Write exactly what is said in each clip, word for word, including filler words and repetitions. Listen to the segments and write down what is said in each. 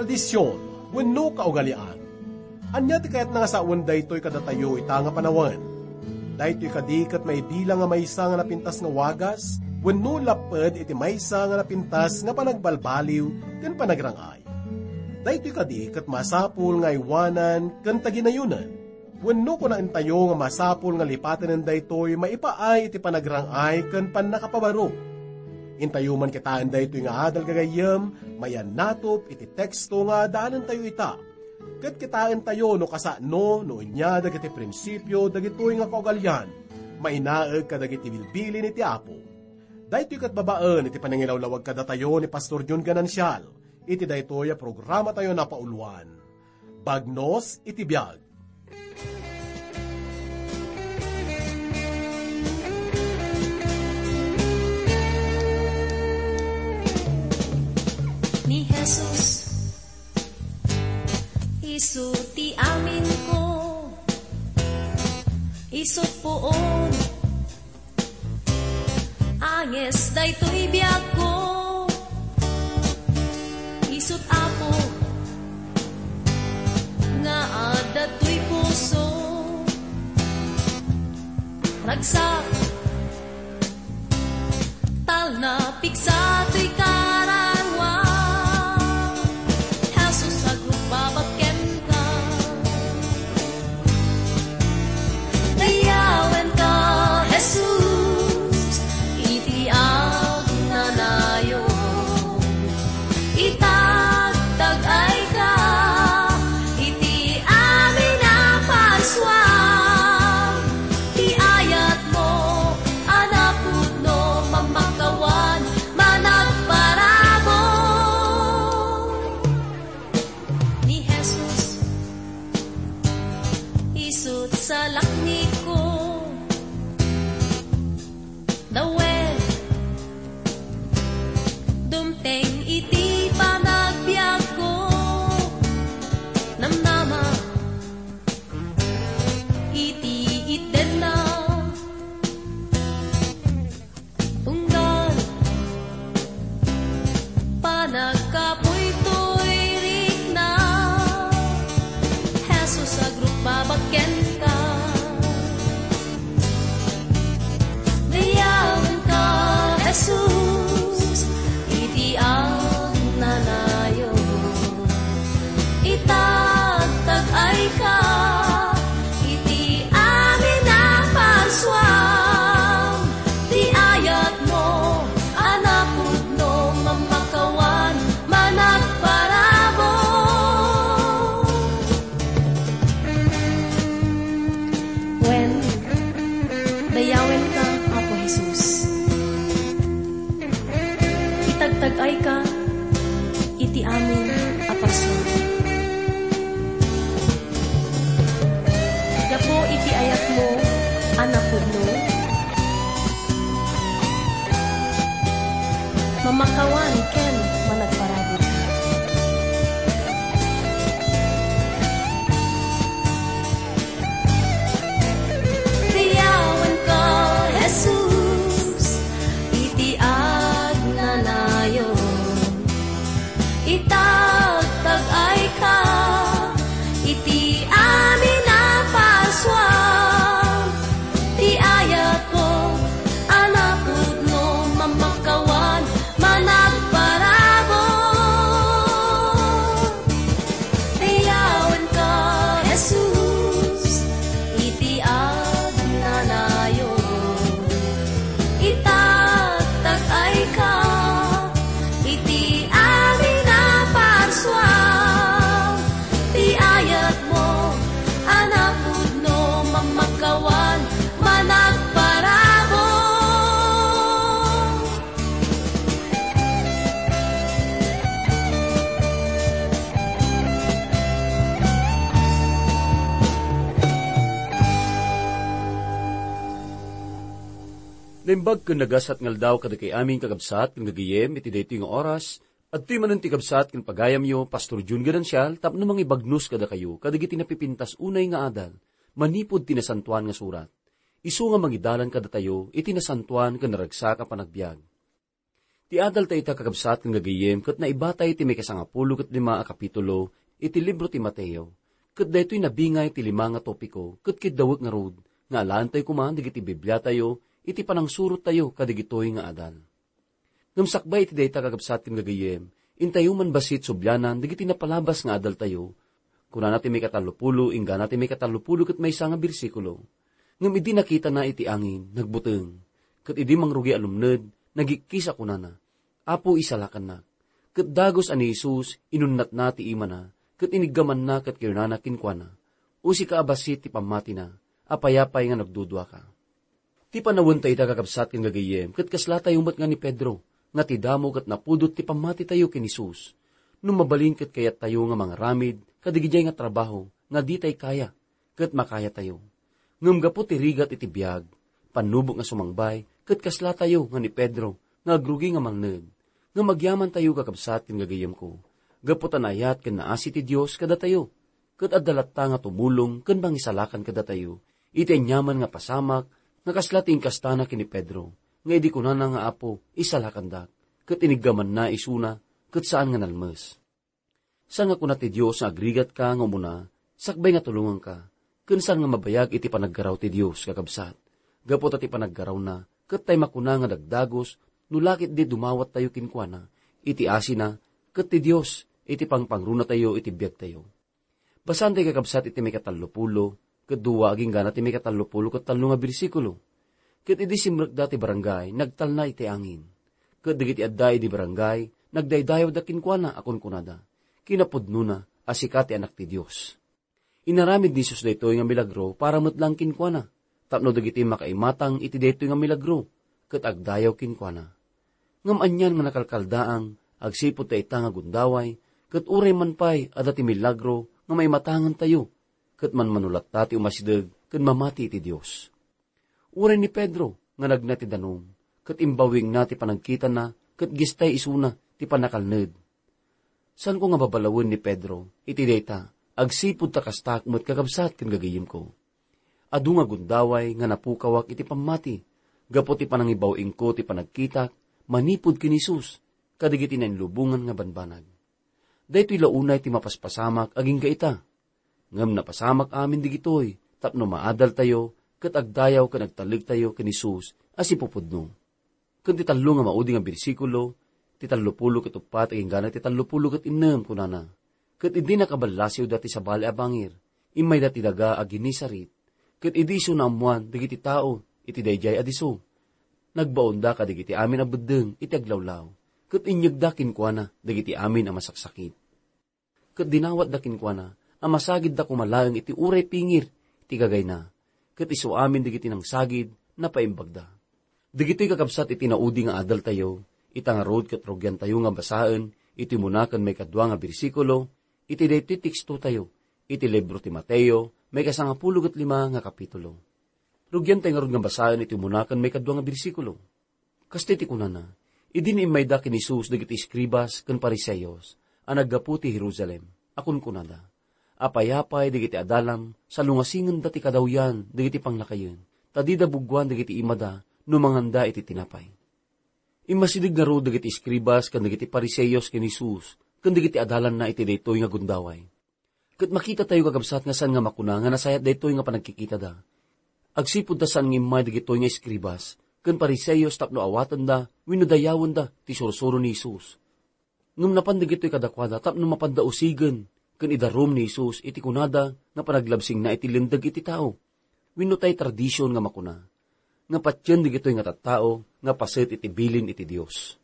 Tradision wenno kaugalian. Ania ti kayatna nga sawen daytoy kadatayo ita nga panawen? Daytoy kadi ket maibilang nga maysa nga napintas nga wagas wenno lapped iti maysa nga napintas nga panagbalbaliw ken panagrang-ay? Daytoy kadi ket masapul nga aywanan ken taginayonan? Wenno kunaentayo nga masapul nga lipaten daytoy maipaay iti panagrang-ay ken pannakapabaro? Intayo man kitaen daytoy nga adal gagayyem, maiyannatop iti teksto nga daanentayo ita. Ket kitaentayo no kasano no ania dagiti prinsipio dagitoy nga kaugalian, mainaed kadagiti bilbilin iti Apo. Daytoy ket babaen iti panangilawlawag kadatayo ni Pastor Jun Ganancial iti daytoy a programatayo a napauluan, Bagnos iti Biag. Ni Jesus, isu ti aminko, isu puon, anges daytoy biagko, isut Apo nga adda toy puso. Ragsak, talna, pigsa toy karangan. Jesus, agrugbabag kenka. Dayawenka, Jesus, iti agnanayon. Itagtagayka iti amin a parsua. Ti ayatmo a napudno, mamakawan, managparabur. Ni Jesus, isut salakniko. Dawen, dumteng iti panagbiagko. Namnama iti itdenna. Tunggal panagkapuy toy rikna, Jesus, agrugbabag kenka. Dayawenka, Jesus, iti agnanayon. Itagtagayka iti amin a parsua. Ti ayatmo a napudno, mamakawan, managparabur. Wen, dayawenka, Apo Jesus. Itagtagayka iti amin a parsua. Gapu iti ayatmo a napudno, mamakawan ken managparabur. Dayawenka, Jesus, iti agnanayon. Itagtagayka iti amin a parsua. Ti ayatko a napudno, mamakawan, managparabur. Dayawenka, Jesus, iti agnanayon. Itagtagayka iti amin a parsua. Ti ayatmo a napudno, mamakawan, managparabur. Naimbag ken nagasat nga aldaw kadagiti amin, kakabsat ken gagayyem, iti daytoy nga oras. Adtoy manen ti kabsat ken pagayamyo, Pastor Jun Ganancial, tapno mangibagnos kadakayo kadagiti napipintas unay nga adal manipud ti Nasantoan nga Surat. Isu nga mangidalan kadatayo iti nasantoan ken naragsak a panagbiag. Ti adaltayo ita, kakabsat ken gagayyem, ket naibatay ti maikasangapulo ket lima a kapitulo iti libro ti Mateo, ket daytoy nabingay ti lima nga topiko, ket kiddawek ngarud nga alaentayo koma dagiti Bibliatayo iti panangsurottayo kadigitoy nga adal. Ngem sakbay iti dayta, kakabsat ken gagayyem, intayo man bassit sublianan dagiti napalabas nga adaltayo. Kunana ti maikatallopulo inggana ti maikatallopulo ket maysa nga bersikulo, "Ngem idi nakitana iti angin, nagbuteng, ket idi mangrugi a lumned, nagikkis a kunana, 'Apo, isalakannak.' Ket dagus a ni Jesus, inunnatna ti imana, ket iniggamanna ket kinunana kenkuana, 'O sika a bassit ti pammatina, apayapay nga nagduduaka?'" Ti panawentayo ita, kakabsat ken gagayyem, ket kaslatayo met nga ni Pedro, nga ti damo ket napudot ti pammatitayo ken Jesus. No mabalin ket kayattayo nga mangaramid kadigidiay nga trabaho nga ditay kaya, ket makayatayo. Ngem gapu ti rigat iti biag, pannubok nga sumangbay, ket kaslatayo nga ni Pedro nga agrugi nga mangted. Ngem agyamantayo, kakabsat ken gagayyemko, gapu ta naayat ken naasi ti Dios kadatayo, ket adda latta nga tumulong ken mangisalakan kadatayo iti aniaman nga pasamak nga kasla ti inkastana ken ni Pedro, nga idi kunana nga, "Apo, isalakandak," ket iniggamanna isuna ket saan nga nalmes. Saan nga kuna ti Dios nga agrigatka nga umuna, sakbay nga tulonganka, ken saan nga mabayag iti panaggaraw ti Dios, kakabsat, gapu ta ti panaggarawna ket tay makuna nga dagdagus no la ketdi dumawattayo kenkuana iti asina ket ti Dios iti pangpangrunatayo iti biagtayo. Basaentayo, kakabsat, iti maikatallopulo ket dua agingga ti maikatallopulo ket tallo nga bersikulo. Ket idi simrekda ti barangay, nagtalna iti angin. Ket dagiti adda idi barangay, nagdaydayawda kenkuana a kunkunada, "Kinapudnona a sika ti Anak ti Dios." Inaramid ni Jesus daytoy nga milagro para met laeng kenkuana, tapno dagiti makaimatang iti daytoy nga milagro ket agdayaw kenkuana. Ngem anian nga nakalkaldaang agsipud ta ita nga gundaway, ket uray man pay adda ti milagro nga maimatangentayo, ket manmano latta ti umasideg ken mamati iti Dios. Uray ni Pedro nga nagna ti danum, ket imbawingna ti panagkitana ket gistay isuna ti pannakalned. Saanko nga babalawen ni Pedro iti dayta, agsipud ta kastak met, kakabsat ken gagayyemko. Adu nga gundaway nga napukawak iti pammati, gapu ti panangibaw-ingko ti panagkitak manipud ken Jesus kadagiti nainlubongan nga banbanag. Daytoy la unay ti mapaspasamak agingga ita. Ngem napasamak amin digitoy tapno maadaltayo ket agdayaw ken agtalektayo ken Jesus a sipupudno. Ken ti tallo nga maudi nga bersikulo, ti tallopulo ket uppat agingga ti tallopulo ket innem, kunana, "Ket idi nakaballasiwda ti sabali a bangir, immayda ti daga a Genesaret. Ket idi isu naammoan dagiti tao iti daydiay a disso, nagbaonda kadagiti amin a beddeng iti aglawlaw, ket inyegda kenkuana dagiti amin a masaksakit. Ket dinawatda kenkuana a masagidda koma laeng iti uray pingir ti gagayna, ket isu amin dagiti nangsagid napaimbagda." Dagitoy, kakabsat, iti naudi nga adaltayo, ita ngarud ket rugiantayo nga basaen iti umuna ken maikadua nga bersikulo iti daytoy tekstotayo iti libro ti Mateo, maikasangapulo ket lima nga kapitulo. Rugiantayo ngarud nga basaen iti umuna ken maikadua nga bersikulo. Kastoy ti kunana, "Idi immayda ken Jesus dagiti eskribas ken Fariseos a naggapu ti Jerusalem, a kunkunada, 'Apayapay dagiti adalam, salungasingenda ti kadawyan dagiti panglakayen, ta dida buggoan dagiti imada no manganda iti tinapay.'" Immasideg ngarud dagiti eskribas ken dagiti Fariseos ken Jesus ken dagiti adalanna iti daytoy nga gundaway. Ket makitatayo, kakabsat, nga saan nga makuna nga nasayat daytoy nga panagkikitada. Agsipud ta saan nga immay dagitoy nga eskribas ken Fariseos tapno awatenda wenno dayawenda ti sursuro ni Jesus. Ngem napan dagitoy kadakuada tapno mapanda usigen ken idarum ni Jesus iti kunada nga panaglabsingna iti linteg iti tao, wenno tay tradision nga makuna nga patien dagitoy nga tattao nga paset iti bilin iti Dios.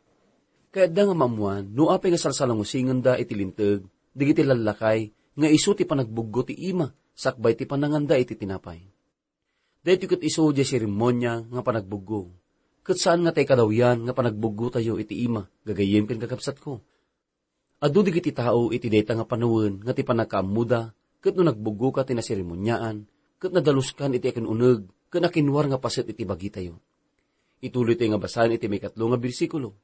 Kayatda nga maammoan no apay nga salsalangusingenda iti linteg dagiti lallakay nga isu ti panagbuggo ti ima sakbay ti pananganda iti tinapay. Daytoy ket isu diay seremonia nga panagbuggo, ket saan nga tay kadawyan nga panagbuggotayo iti ima, gagayyem ken kakabsatko. Adu dagiti tao iti dayta nga panawen nga ti pannakaammoda, ket no nagbuggoka ti naseremoniaan, ket nadaloskan iti akin-uneg ken akinwar nga paset iti bagitayo. Ituloytayo nga basaen iti maikatlo nga bersikulo.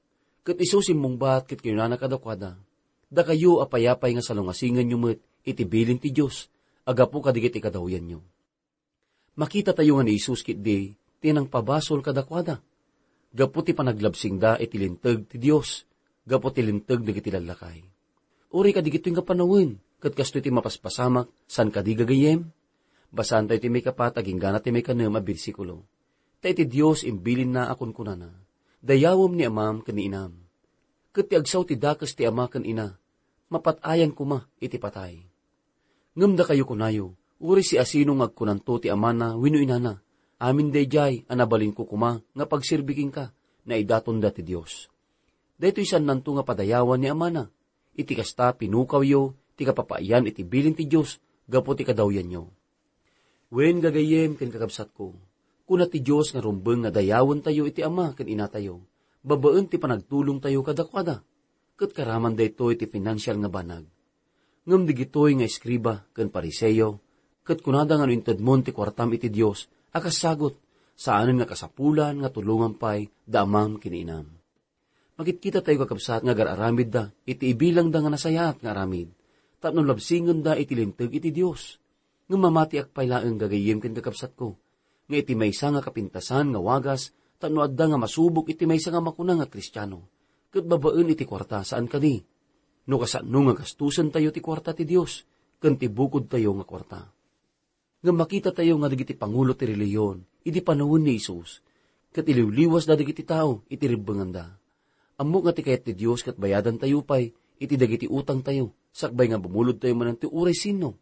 Ket isu simmungbat ket kinunana kadakuada, "Dakayo, apayapay nga salungasingenyo met iti bilin ti Dios a gapu kadagiti kadawyanyo." Makitatayo nga ni Jesus ketdi ti nangpabasol kadakuada. gapu ti panaglabsingda iti linteg ti Dios, gapu ti linteg dagiti lallakay. Uray kadigitoy nga panawen, ket kastoy ti mapaspasamak, saan kadi, gagayyem? Basaantayo ti maikapat agingga ti maikanem a bersikulo. Ta iti Dios imbilinna a kunkunana, "Dayawem ni amam ken ni inam." Ket ti agsao ti dakes ti ama ken ina, mapat-ayan koma iti patay. Ngem dakayo kunayo, uray siasino nga agkunanto ti amana wenno inana, "Amin daydiay a nabalinko koma nga pagserbi kenka, naidatonda ti Dios." Daytoy saannanto nga padayawan ni amana. Iti kasta, pinukawyo ti kapapayan iti bilin ti Dios gapu ti kadawyanyo. Wen, gagayyem ken kakabsatko, kuna ti Dios nga rumbeng nga dayawentayo iti ama ken inatayo, babaen ti panagtulongtayo kadakuada. Ket karaman daytoy ti pinansial nga banag. Ngem digitoy nga eskriba ken Fariseo, ket kunada nga no intedmon ti kuartam iti Dios a kas sagut, saanen nga kasapulan nga tulongan pay da amam ken inam. Makitkita tayo, kakabsat, nga agar-aramidda iti ibilangda nga nasayaat nga aramid, tapno labsingenda iti linteg iti Dios. Ngem mamatiak pay laeng, gagayyem ken kakabsatko, nga iti maysa nga kapintasan nga wagas tapno adda nga masubok iti maysa nga makuna nga Kristiano, ket babaen iti kuarta, saan kadi? No kasano nga gastusentayo ti kuarta ti Dios ken ti bukodtayo nga kuarta. Ngem makitatayo nga dagiti pangulo ti relihiyon idi panawen ni Jesus, ket iliwliwasda dagiti tao iti rebbenganda. Ammok nga ti kayat ti Dios ket bayadantayo pay iti dagiti utangtayo, sakbay nga bumulodtayo manen ti uray sinno.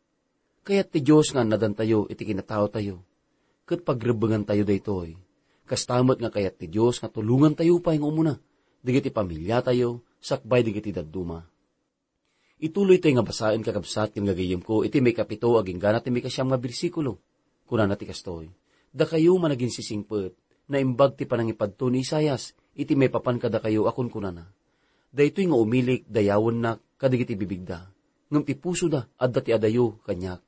Kayat ti Dios nga annadantayo iti kinataotayo, ket pagrebbengantayo daytoy. Kasta met nga kayat ti Dios nga tulongantayo pay nga umuna dagiti pamiliatayo sakbay dagiti dadduma. Ituloytayo nga basaen, kakabsat ken gagayyemko, iti maikapito agingga ti maikasiam nga bersikulo. Kunana ti kastoy, "Dakayo managinsisingpet, naimbag ti panangipadto ni Isaias iti maipapan kadakayo a kunkunana, 'Daytoy nga umilik, dayawennak kadagiti bibigda, ngem ti pusoda adda ti adayo kaniak.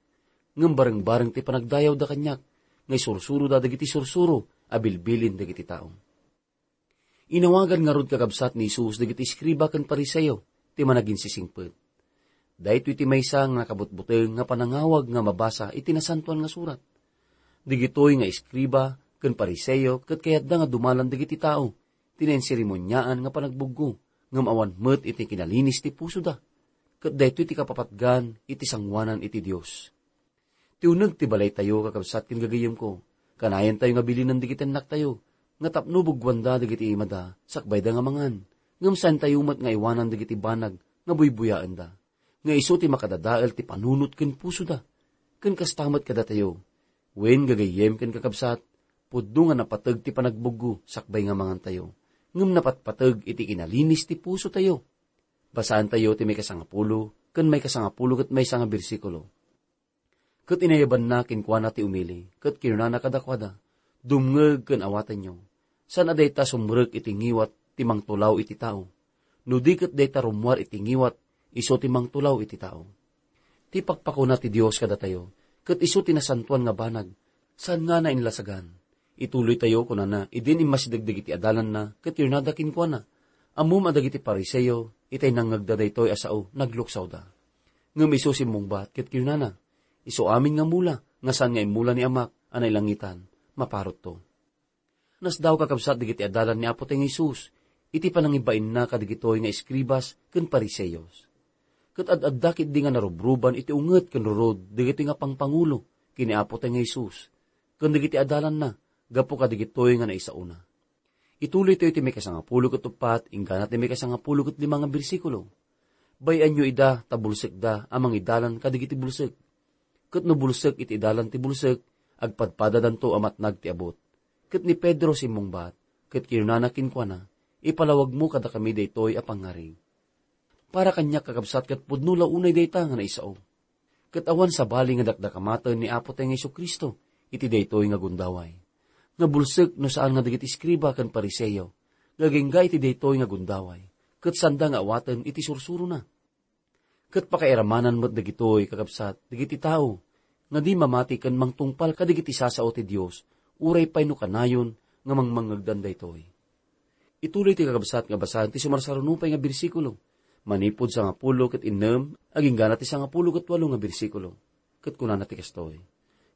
Ngem barengbareng ti panagdayawda kaniak, nga isursuroda dagiti sursuro a bilbilin dagiti tao.'" Inawagan ngarud, kakabsat, ni Jesus dagiti eskriba ken Fariseo ti managinsisingpet. Daytoy ti maysa nga nakabutbuteng nga panangawag nga mabasa iti Nasantoan nga Surat. Dagitoy nga eskriba ken Fariseo ket kayatda nga dumalan dagiti tao ti nainseremoniaan nga panagbuggo, ngem awan met iti kinalinis ti pusoda. Ket daytoy ti kapapatgan iti sangoanan iti Dios. Ti uneg ti balaytayo, kakabsat ken gagayyemko, kanayantayo nga bilinen dagiti annaktayo nga tapno buggoanda dagiti imada sakbayda nga mangan, ngem saantayo met nga iwanan dagiti banag nga buybuyaenda, nga isu ti makadadael ti panunot ken pusoda. Ken kasta met kadatayo, wen, gagayyem ken kakabsat, pudno nga napateg ti panagbuggo sakbay nga mangantayo, ngem napatpateg iti kinalinis ti pusotayo. Basaantayo ti maikasangapulo ken maikasangapulo ket maysa nga bersikulo. Ket inayabanna kenkuana ti umili, ket kinunana kadakuada, "Dumngeg ken awatenyo. Saan a dayta sumrek iti ngiwat ti mangtulaw iti tao. No di ket dayta rummuar iti ngiwat, isu ti mangtulaw iti tao." Ti pakpakuna ti Dios kadatayo, ket isu ti nasantoan nga banag, saan nga nainlasagan. Ituloytayo, kunana, idin immasideg dagiti adalanna ket kinunada kenkuana, "Ammom a dagiti Fariseo, itay nangngegda daytoy a sao, nagluksawda. Ngem isu simmungbat ket kinunana, 'Isu amin nga mula nga saan nga immula ni Amak a nailangitan, maparutto.'" Nasdaaw, kakabsat, dagiti adalan ni Apotayo nga Jesus iti panangibainna kadagitoy nga eskribas ken Fariseos. Ket ad-adda ketdi nga narubruban iti unget ken rurod dagitoy nga pangpangulo ken ni Apotayo nga Jesus ken dagiti adalanna gapu kadagitoy nga naisaona. Ituloytayo ti maikasangapulo ket uppat inggana ti maikasangapulo ket lima nga bersikulo. "Bay-anyo ida ta bulsekda a mangidalan kadagiti bulsek. Ket no bulsek iti idalan ti bulsek, agpadpadadanto a matnag ti abut." Ket ni Pedro simmungbat, ket kinunana kenkuana, "Ipalawagmo kadakami daytoy a pangngarig." Para kaniak, kakabsat, ket pudno la unay dayta nga naisao. Ket awan sabali nga dakdakamaten ni Apotayo nga Jesu-Cristo iti daytoy nga gundaway. Nga bulsek no saan nga dagiti eskriba ken Fariseo nga agingga iti daytoy nga gundaway, ket saanda nga awaten iti sursurona. Ket pakairamanan met dagitoy, kakabsat, dagiti tao nga di mamati ken mangtungpal kadagiti sasao ti Dios, uray pay no kanayon nga mangmangngegdan daytoy. Ituloy ti kakabsat nga basaen ti sumarsaruno pay nga bersikulo, manipud sangapulo ket innem, aginggana ti sangapulo ket walo nga bersikulo. Ket kunana ti kastoy,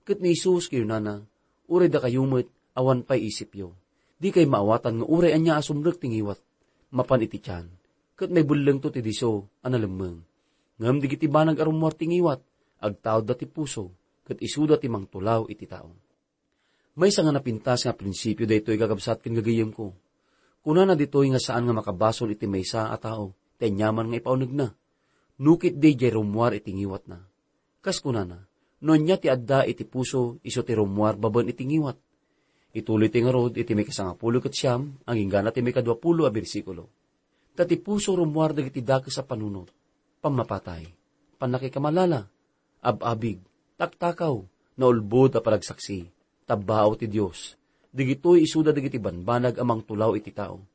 "Ket ni Jesus kinunana, 'Uray dakayo met, awan pay isipyo. Dikay maawatan nga uray ania a sumrek ti ngiwat mapan iti tian, ket maibellengto ti disso a nalemmeng. Ngem dagiti banag a rummuar ti ngiwat, agtaudda ti puso, ket isuda ti mangtulaw iti tao. Maysa nga napintas nga prinsipio daytoy, kakabsat ken gagayyemko. Kunana ditoy nga saan nga makabasol iti maysa a tao ti aniaman nga ipaunegna, no ketdi diay rummuar iti ngiwatna. Kas kunana, no ania ti adda iti puso, isu ti rummuar babaen iti ngiwat. Ituloy ti ngarud iti maikasangapulo ket siam, agingga na ti maikaduapulo a bersikulo. Ta ti puso rummuar dagiti dakes a panunot, pammapatay, pannakikamalala, ab-abig, taktakaw, naulbod a panagsaksi, tabbao ti Dios. Dagitoy isuda dagiti banbanag a mangtulaw iti tao.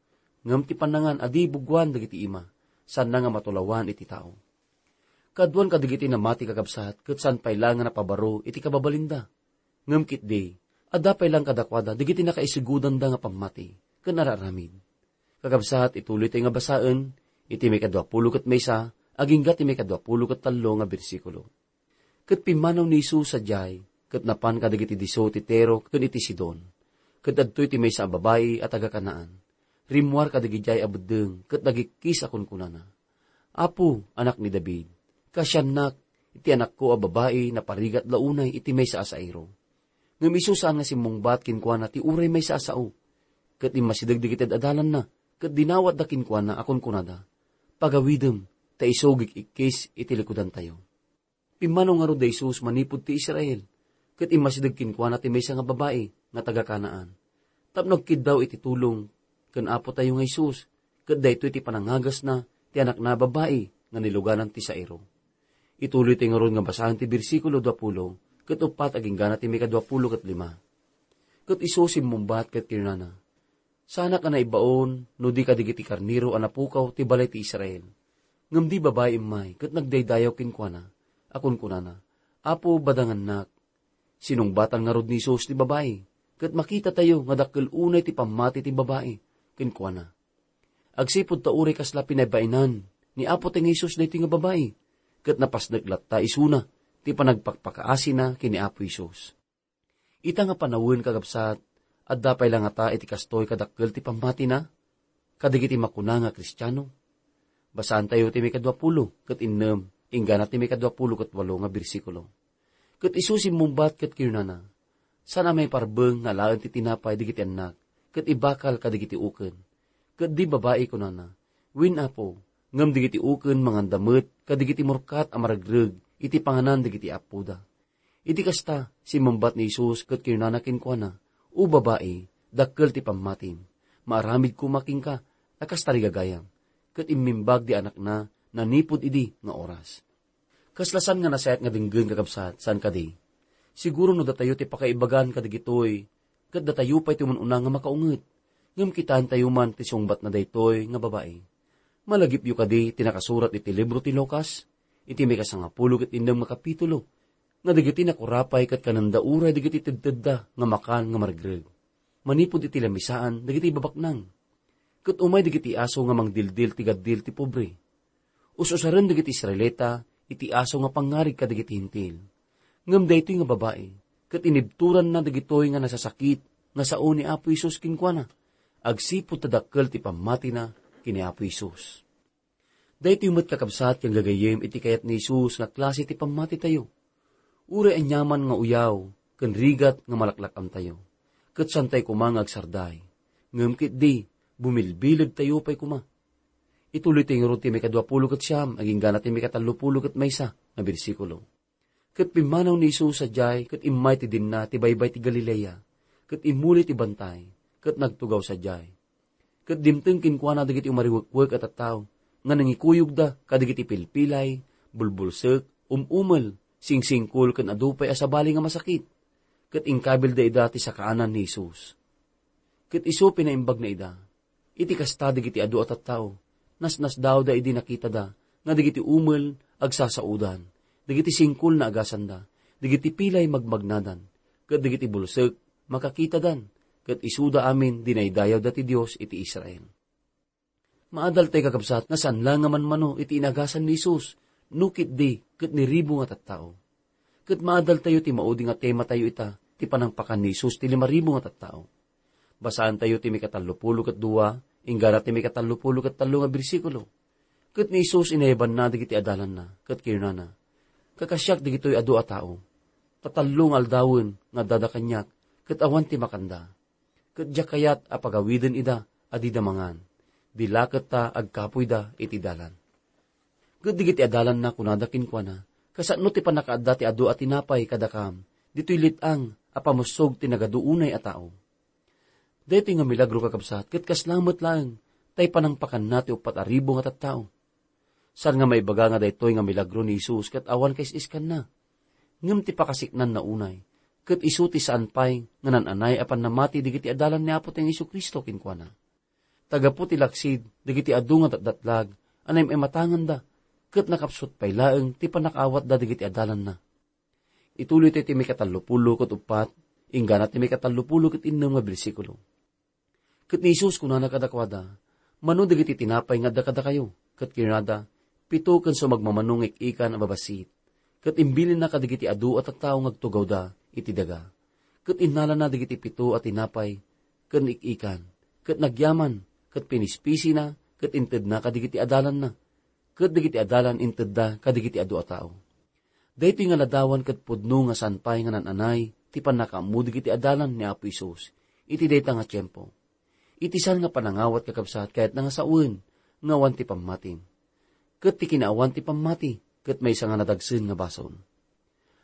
Ngem ti pannangan a di buguan dagiti ima, saanna nga matulawan iti tao. Kaduan kadagiti namati, kakabsat, ket saan pay la nga napabaro iti kababalinda. Ngem ketdi, adda pay laeng kadakuada dagiti nakaisugudanda nga pammati ken ar-aramid. Kakabsat, ituloytayo nga basaen iti maikaduapulo ket maysa agingga ti maikaduapulo ket tallo nga bersikulo. Ket pimmanaw ni Jesus sadiay, ket napan kadagiti disso ti Tiro ken iti Sidon. Ket adtoy ti maysa a babai a taga-Canaan. Rimmuar kadagidiay a beddeng ket nagikkis a kunkunana, "Apo, Anak ni David, kaasiannak, iti anakko a babai naparigat la unay iti maysa a sairo." Ngem isu saan nga simmungbat kenkuana ti uray maysa a sao. Ket immasideg dagiti ad-adalanna, ket dinawatda kenkuana a kunkunada, "Pagawidem, ta isu gik-ikkis iti likudantayo." Pimmanaw ngarud da Jesus manipud ti Israel, ket immasideg kenkuana ti maysa nga babai nga taga-Canaan, tapno agkiddaw iti tulong ken Apotayo nga Jesus, ket daytoy ti panangagasna ti anakna a babai nga niluganan ti sairo. Ituloytayo ngarud nga basaen ti bersikulo duapulo ket uppat agingga na ti maikaduapulo ket lima. Ket isu simmungbat ket kinunana, "Saanak a naibaon no di kadagiti karnero a napukaw ti balay ti Israel." Ngem di babai immay ket nagdaydayaw kenkuana a kunkunana, "Apo, badangannak." Sinungbatan ngarud ni Jesus ti babai, ket makitatayo nga dakkel unay ti pammati ti babai kenkuana. Agsipud ta uray kasla pinaybainan ni Apo ti Jesus daytoy nga babai, ket napasnek latta isuna ti panagpakpakaasina ken ni Apo Jesus. Ita nga panawen, kakabsat, adda pay la ngata iti kastoy kadakkel ti pammatina kadagiti makuna nga Kristiano? Basaantayo ti maikaduapulo ket innem, inggana ti maikaduapulo ket walo nga bersikulo. Ket isu simmungbat ket kinunana, "Saan a maiparbeng nga alaen ti tinapay dagiti annak ket ibakal kadagiti uken?" Ket di babai kunana, "Wen, Apo, ngem dagiti uken manganda met kadagiti murkat a maregreg iti panganan dagiti appoda." Iti kasta, simmungbat ni Jesus ket kinunana kenkuana, "O babai, dakkel ti pammatim. Maaramid koma kenka a kas tarigagayam." Ket immimbag di anakna nanipud idi nga oras. Kasla saan nga nasayaat nga denggen, kakabsat, saan kadi? Siguro no datayo ti pakaibagan kadagitoy, ket datayo pay ti umun-una nga makaunget. Ngem kitaentayo man ti sungbatna daytoy nga babai. Malagipyo kadi ti nakasurat iti libro ti Lucas, iti maikasangapulo ket innem nga kapitulo, nga dagiti nakurapay ket kanenda uray dagiti tedtedda nga makan nga maregreg. Manipud iti lamisaan dagiti babaknang. Ket umay dagiti aso nga mangdildil ti gaddil ti pobre. Us-usaren dagiti Israelita iti aso nga pangngarig kadagiti Hentil. Ngem daytoy nga babai, ket inibturanna dagitoy nga nasasakit nga sao ni Apo Jesus kenkuana, agsipud ta dakkel ti pammatina ken ni Apo Jesus. Daytoy met, kakabsat ken gagayyem, iti kayat ni Jesus nga klase ti pammatitayo. Uray aniaman nga uyaw ken rigat nga malaklak-amtayo, ket saantayo koma nga agsarday. Ngem ketdi, bumilbilegtayo pay koma. Ituloytayo ngarud ti maikaduapulo ket siam, agingga na ti maikatallopulo ket maysa nga bersikulo. Ket pimmanaw ni Jesus sadiay, ket immay ti dinna ti baybay ti Galilea, ket immuli ti bantay, ket nagtugaw sadiay. Ket dimteng kenkuana dagiti umariwekwek a tattao nga nangikuyogda kadagiti pilpilay, bulbulsek, um-umel, singsingkol, ken adu pay a sabali nga masakit. Ket inkabilda ida ti sakaanan ni Jesus. Ket isu pinaimbagna ida. Iti kasta, dagiti adu a tattao, nasnasdawda idi nakitada nga dagiti umel agsasaodan, dagiti singkol naagasanda, dagiti pilay magmagnadan, ket dagiti bulsek makakitadan, ket isuda amin dinaydayawda ti Dios iti Israel. Maadaltayo, kakabsat, nga saan la nga manmano iti inagasan ni Jesus, no ketdi ket ni ribu nga tattao. Ket maadaltayo ti maudi nga tematayo ita, ti panangpakan ni Jesus ti lima ribu nga tattao. Basaantayo ti maikatallopulo ket dua, inggana ti maikatallopulo ket tallo nga bersikulo. Ket ni Jesus inayabanna dagiti adalanna, ket kinunana, "Kakasiak dagitoy adu a tao. Ta tallo nga aldawen nga addada kaniak, ket awan ti makanda. Ket diak kayat a pagawiden ida a dida mangan. Di laketta agkapoyda iti dalan." Ket dagiti adalanna kunada kenkuana, "Kasano ti pannakaadda ti adu a tinapay kadakam, ditoy let-ang a pamussog ti nagadu unay a tao?" Daytoy nga milagro, kakabsat, ket kasla met laeng tay panangpakanna ti uppat a ribu nga tattao. Saan nga maibaga nga daytoy nga milagro ni Jesus ket awan kais-iskanna. Ngem ti pakasiknanna unay, ket isu ti saan pay nga nan-anay a pannamati dagiti adalan ni Apotayo Jesu-Cristo kenkuana. Ta gapu ti laksid dagiti adu nga datdatlag a naim-imatanganda, ket nakapsut pay laeng ti pannakaawatda dagiti adalanna. Ituloytayo ti maikatallopulo ket uppat, inggana ti maikatallopulo ket innem nga bersikulo. Ket ni Jesus kunana kadakuada, "Mano dagiti tinapay nga adda kadakayo?" Ket kinunada, "Pito ken sumagmamano nga ik-ikan a babassit." Ket imbilinna kadagiti adu a tattao nga agtugawda iti daga. Ket innalana dagiti pito a tinapay ken ik-ikan, ket nagyaman, ket pinispisina, ket intedna kadagiti adalanna. Ket dagiti adalan intedda kadagiti adu a tao. Daytoy nga ladawan ket pudno nga saan pay nga nan-anay ti pannakaammo dagiti adalan ni Apo Jesus iti dayta nga tiempo. Iti saan nga panangawat, kakabsat, kayatna nga sawen nga awan ti pammati. Ket ti kinaawan ti pammati ket maysa nga nadagsen nga basol.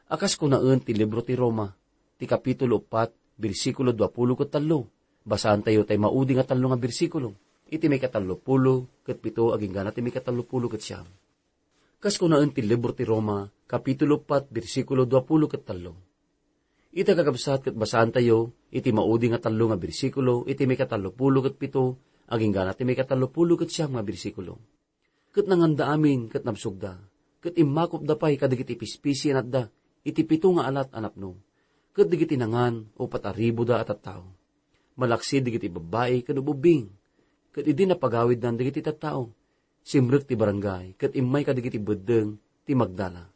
A kas kunaen ti libro ti Roma, ti kapitulo uppat, bersikulo duapulo ket tallo. Basaantayo tay maudi nga tallo nga bersikulo, iti maikatallopulo ket pito agingga ti maikatallopulo ket siam. Kas kunaen ti libro ti Roma, kapitulo uppat, bersikulo duapulo ket tallo. Ita, kakabsat, ket basaantayo iti maudi nga tallo nga bersikulo iti maikatallopulo ket pito agingga ti maikatallopulo ket siam nga bersikulo. Ket nanganda amin ket nabsogda, ket immakopda pay kadagiti pispisi a natda iti pito nga alat a napno, ket dagiti nangan uppat a ribuda a tattao. Malaksid dagiti babbai ken ububbing, ket idi napagawiddan dagiti tattao, simrek ti barangay ket immay kadagiti beddeng ti Magdala.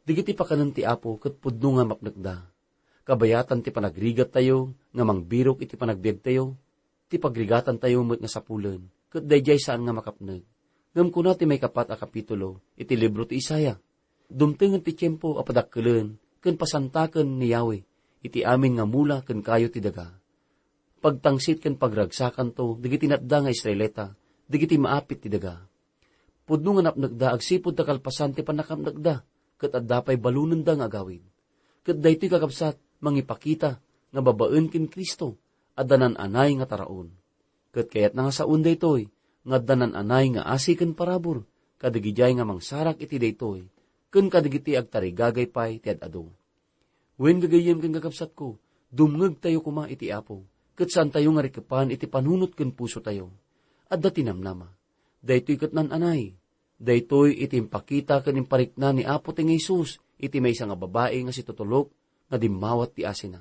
Dagiti pakanen ti Apo ket pudno nga mapnekda. Kabayatan ti panagrigattayo nga mangbirok iti panagbiagtayo, ti pagrigatantayo met nga sapulen, ket daydiay saan nga makapneg. Ngem kuna ti maikapat a kapitulo iti libro ti Isaiah, "Dumtengen ti tiempo a padakkelen ken pasantaken ni Yahweh iti amin nga mula ken kayo ti daga. Pagtangsit ken pagragsakanto dagiti natda nga Israelita, dagiti maapit ti daga. Pudno nga napnekda agsipud ta kalpasan ti pannakapnekda, ket adda pay balonenda nga agawid." Ket daytoy, kakabsat, mangipakita nga babaen ken Cristo, adda nan-anay nga taraon. Ket kayatna nga sawen daytoy, nga adda nan-anay nga asi ken parabur, kadagidiay nga mangsarak iti daytoy, ken kadagiti agtarigagay pay ti ad-adu. Wen, gagayyem ken kakabsatko, dumngegtayo koma iti Apo, ket saantayo nga rikepan iti panunot ken pusotayo. Adda ti namnama. Daytoy ket nan-anay. Daytoy iti impakita ken imparikna ni Apo ti Jesus iti maysa nga babai nga situtulok nga dimmawat ti asina.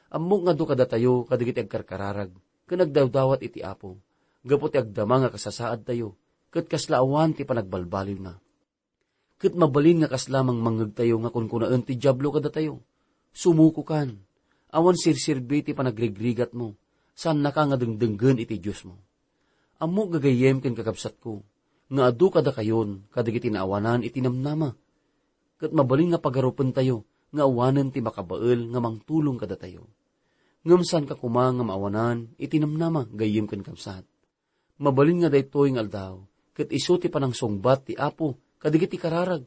Ammok nga adu kadatayo kadagiti agkarkararag ken agdawdawat iti Apo, gapu ti agdama nga kasasaadtayo, ket kasla awan ti panagbalbaliwna. Ket mabalin nga kasla mangmangngegtayo nga kunkunaen ti Diablo kadatayo, "Sumukokan, awan serserbi ti panagrigrigatmo, saannaka nga dengdenggen iti Diosmo." Ammok, gagayyem ken kakabsatko, nga adu kadakayon kadagiti naawanan iti namnama, ket mabalin nga pagarupentayo nga awanen ti makabael nga mangtulong kadatayo. Ngem saanka koma nga maawanan iti namnama, gayyem ken kabsat. Mabalin nga daytoy nga aldaw ket isu ti panangsungbat ti Apo kadagiti kararag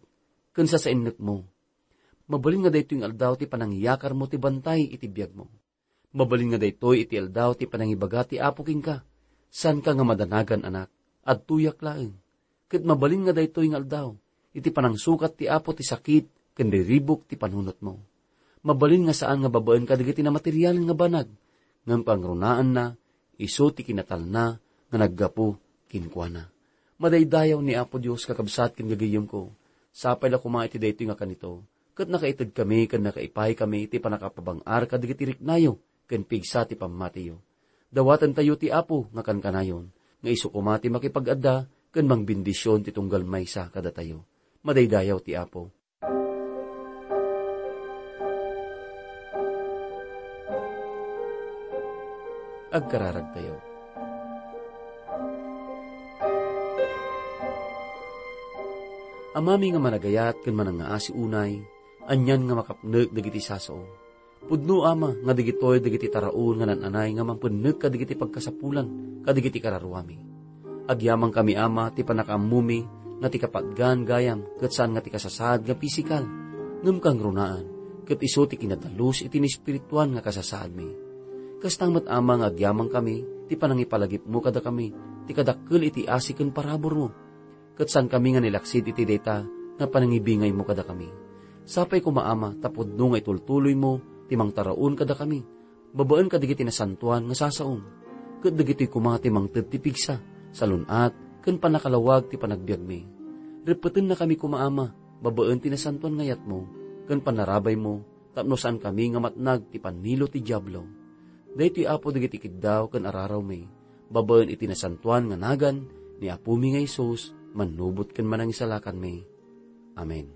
ken sasainnekmo. Mabalin nga daytoy nga aldaw ti panangiyakarmo ti bantay iti biagmo. Mabalin nga daytoy iti aldaw ti panangibaga ti Apo kenka, "Saanka nga madanagan, anak. Adtoyak laeng." Ket mabalin nga daytoy nga aldaw iti panangsukat ti Apo ti sakit ken riribuk ti panunotmo. Mabalin nga saan nga babaen kadagiti namaterialen nga banag, ngem pangrunaanna isu ti kinatalna nga naggapu kenkuana. Madaydayaw ni Apo Dios, kakabsat ken gagayyemko. Sapay la koma iti daytoy nga kanito, ket nakaitedkami ken nakaipayami ti pannakapabang-ar kadagiti riknayo ken pigsa ti pammatiyo. Dawatentayo ti Apo nga kankanayon, nga isu koma ti makipag-adda ken mangbendisyon ti tunggal maysa kadatayo. Madaydayaw ti Apo. Agkararagtayo. Amami nga managayat ken manangngaasi unay, anian nga makapnek dagiti sasao. Pudno, Ama, nga dagitoy dagiti taraon nga naan-anay nga mangpennek kadagiti pagkasapulan kadagiti kararuami. Agyamankami, Ama, ti pannakaammomi nga ti kapatgan gayam ket saan nga ti kasasaad nga pisikal, ngem kangrunaan, ket isu ti kinadalus iti naespirituan nga kasasaadmi. Kasta met, Ama, nga agyamankami ti panangipalagipmo kadakami ti kadakkel iti asi ken paraburmo, ket saankami nga nilaksid iti dayta nga panangibingaymo kadakami. Sapay koma, Ama, ta pudno nga itultuloymo ti mangtaraon kadakami babaen kadagiti nasantoan nga sasaom, ket dagitoy koma ti mangted ti pigsa, salun-at, ken pannakalawag ti panagbiagmi. Reppetennakami koma, Ama, babaen ti nasantoan nga ayatmo ken pannarabaymo tapno saankami nga matnag ti pannilo ti Diablo. Daytoy, Apo, dagiti kiddaw ken ararawmi, babaen iti nasantoan nga nagan ni Apomi nga Jesus, mannubot ken manangisalakanmi. Amen.